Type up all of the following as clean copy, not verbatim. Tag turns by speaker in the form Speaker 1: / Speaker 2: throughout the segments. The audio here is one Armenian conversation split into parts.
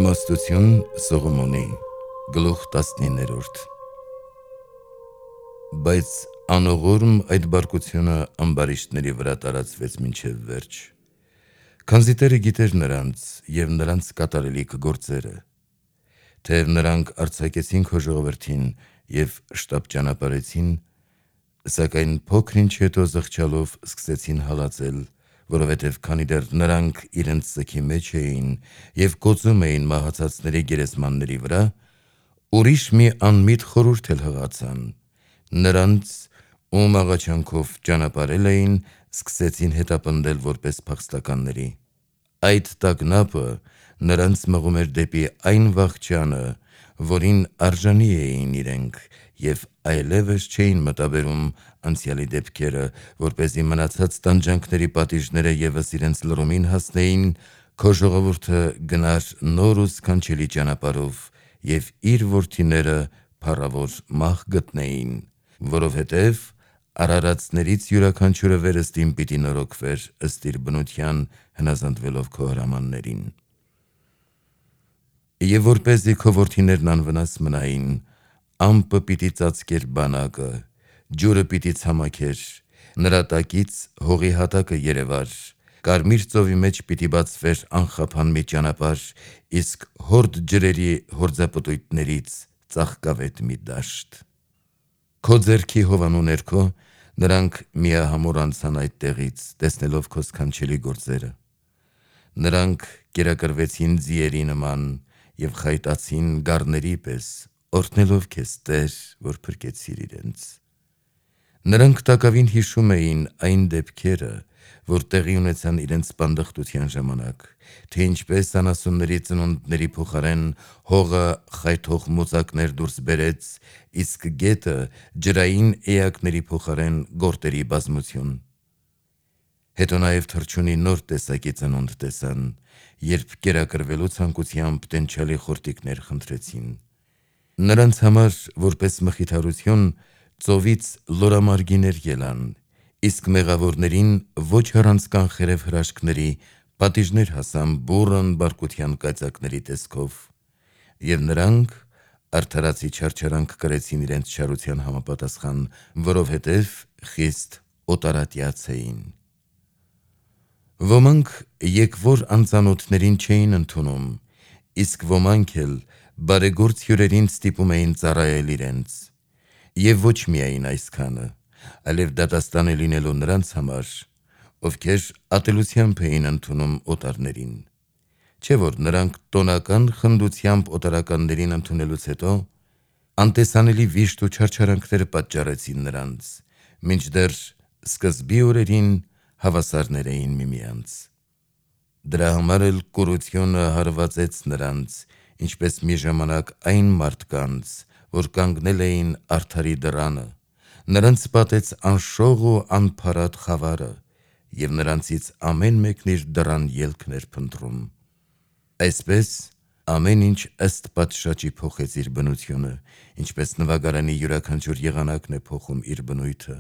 Speaker 1: Իմաստություն Սողոմոնի գլուխ 19-րդ Բայց անողորմ այդ բարկությունը ամբարիշտների վրա տարածվեց մինչև վերջ, քանզի Տերը գիտեր նրանց և նրանց կատարելիք գործերը, թեև նրանք արձակեցին քո ժողովրդին և շտապ ճանապարհեցին, սակայն փոքր-ինչ հետո զղջալով սկսեցին հալածել, որովհետև քանի դեռ նրանք իրենց ծքի մեջ էին և կոծում էին մահացածների գերեզմանների վրա, ուրիշ մի անմիտ խորհուրդ էլ հղացան. նրանց, ում աղաչանքով ճանապարհել էին, սկսեցին հետապնդել որպես փախստականների: Այդ տագնապը նրանց մղում էր դեպի այն վախճանը, որին արժանի էին իրենք, և այլևս չէին մտաբերում անցյալի դեպքերը, որպեսզի մնացած տանջանքների պատիժները ևս իրենց լռումին հասնեին, քո ժողովուրդը գնար նոր ու սքանչելի ճանապարհով և իր որդիները փառավոր մահ գտնեին, որովհետև արարածներից յուրաքանչյուրը վերստին պիտի նորոգվեր ըստ իր բնության, հնազանդվելով քո հրամաններին: Եվ որպեսզի քո որդիներն անվնաս մնային, ամպը պիտի ծածկեր բանակը, ջուրը պիտի ցամաքեր, նրա տակից հողի հատակը երևար, Կարմիր ծովի մեջ պիտի բացվեր անխափան մի ճանապարհ, իսկ հորդ ջրերի հորձապտույտներից ծաղկավետ մի դաշտ: Քո ձեռքի հովանու ներքո նրանք միահամուռ անցան այդ տեղից, տեսնելով քո սքանչելի գործերը: Նրանք կերակրվեցին ձիերի նման և խայտացին գառների պես, օրհնելով քեզ, Տեր, որ փրկեցիր իրենց: Նրանք տակավին հիշում էին այն դեպքերը, որ տեղի ունեցան իրենց պանդխտության ժամանակ, թե ինչպես անասունների ծնունդների փոխարեն հողը խայթող մոծակներ դուրս բերեց, իսկ գետը ջրային էակների փոխարեն գորտերի բազմություն: Հետո նաև թռչունի նոր տեսակի ծնունդ տեսան, երբ կերակրվելու ցանկությամբ տենչալի խորտիկներ խնդրեցին: Նրանց համար որպես մխիթարություն ծովից լորամարգիներ ելան, իսկ մեղավորներին ոչ առանց կանխերև հրաշքների պատիժներ հասան բուռն բարկության կայծակների տեսքով: Եվ նրանք արդարացի չարչարանք կրեցին իրենց չարության համապատասխան, որովհետև խիստ օտարատյաց էին: Ոմանք եկվոր անծանոթներին չէին ընդունում, իսկ ոմանք էլ բարեգործ հյուրերին ստիպում էին ծառայել իրենց: Եվ ոչ միայն այսքանը, այլև դատաստան է լինելու նրանց համար, ովքեր ատելությամբ էին ընդունում օտարներին: Չէ՞ որ նրանք տոնական խնդությամբ օտարականներին ընդունելուց հետո անտեսանելի վիշտ ու չարչարանքներ պատճառեցին նրանց, մինչդեռ սկզբի օրերին հավասարներ էին միմյանց: Դրա համար էլ կուրությունը հարվածեց նրանց, ինչպես մի ժամանակ այն մարդկանց, որ կանգնել էին արդարի դռանը, նրանց պատեց անշող ու անփարատ խավարը, և նրանցից ամեն մեկն իր դռան ելքն էր փնտրում: Այսպես ամեն ինչ ըստ պատշաճի փոխեց իր բնությունը, ինչպես նվագարանի յուրաքանչյուր եղանակն է փոխում իր բնույթը,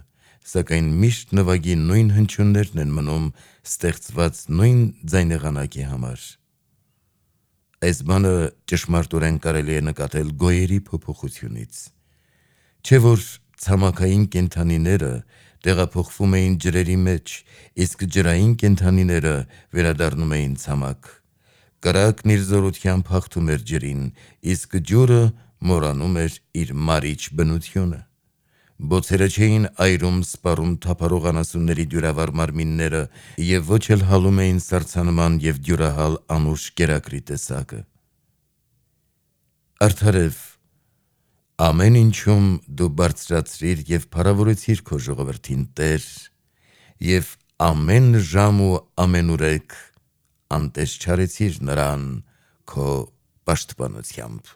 Speaker 1: սակայն միշտ նվագի նույն հնչյուններն են մնում ստեղծված նույն ձայնեղանակի համար: Այս բանը ճշմարտորեն կարելի է նկատել գոյերի փոփոխությունից: Չէ՞ որ ցամաքային կենդանիները տեղափոխվում էին ջրերի մեջ, իսկ ջրային կենդանիները վերադառնում էին ցամաք: Կրակն իր զորությամբ հաղթում էր ջրին, իսկ ջուրը մորանում էր իր մարիչ բնությունը: Բոցերը չէին այրում սպառում թափառող անասունների դյուրավառ մարմինները և ոչ էլ հալում էին սառցանման և դյուրահալ անուշ կերակրի տեսակը: Արդարև, ամեն ինչում դու բարձրացրիր և փառավորեցիր քո ժողովրդին, Տեր, և ամեն ժամ ու ամենուրեք անտես չարեցիր նրան քո պաշտպանությամբ: